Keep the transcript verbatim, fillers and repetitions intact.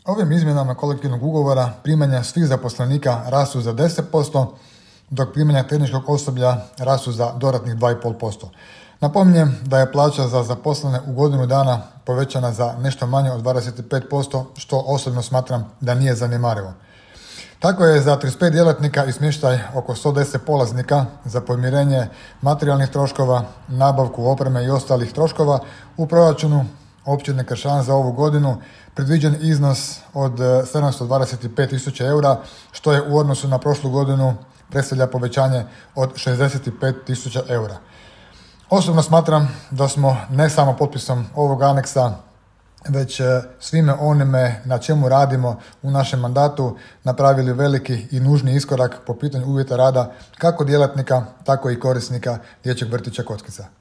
Ovim izmjenama kolektivnog ugovora primanja svih zaposlenika rastu za deset posto, dok primanja tehničkog osoblja rastu za dodatnih dva zarez pet posto. Napominjem da je plaća za zaposlene u godinu dana povećana za nešto manje od dvadeset pet posto, što osobno smatram da nije zanemarivo. Tako je za trideset pet djelatnika i smještaj oko sto deset polaznika za podmirenje materijalnih troškova, nabavku opreme i ostalih troškova u proračunu općine Kršan za ovu godinu predviđen iznos od sedamsto dvadeset pet tisuća eura, što je u odnosu na prošlu godinu predstavlja povećanje od šezdeset pet tisuća eura. Osobno smatram da smo ne samo potpisom ovog aneksa, već svime onime na čemu radimo u našem mandatu napravili veliki i nužni iskorak po pitanju uvjeta rada kako djelatnika, tako i korisnika dječjeg vrtića Kockica.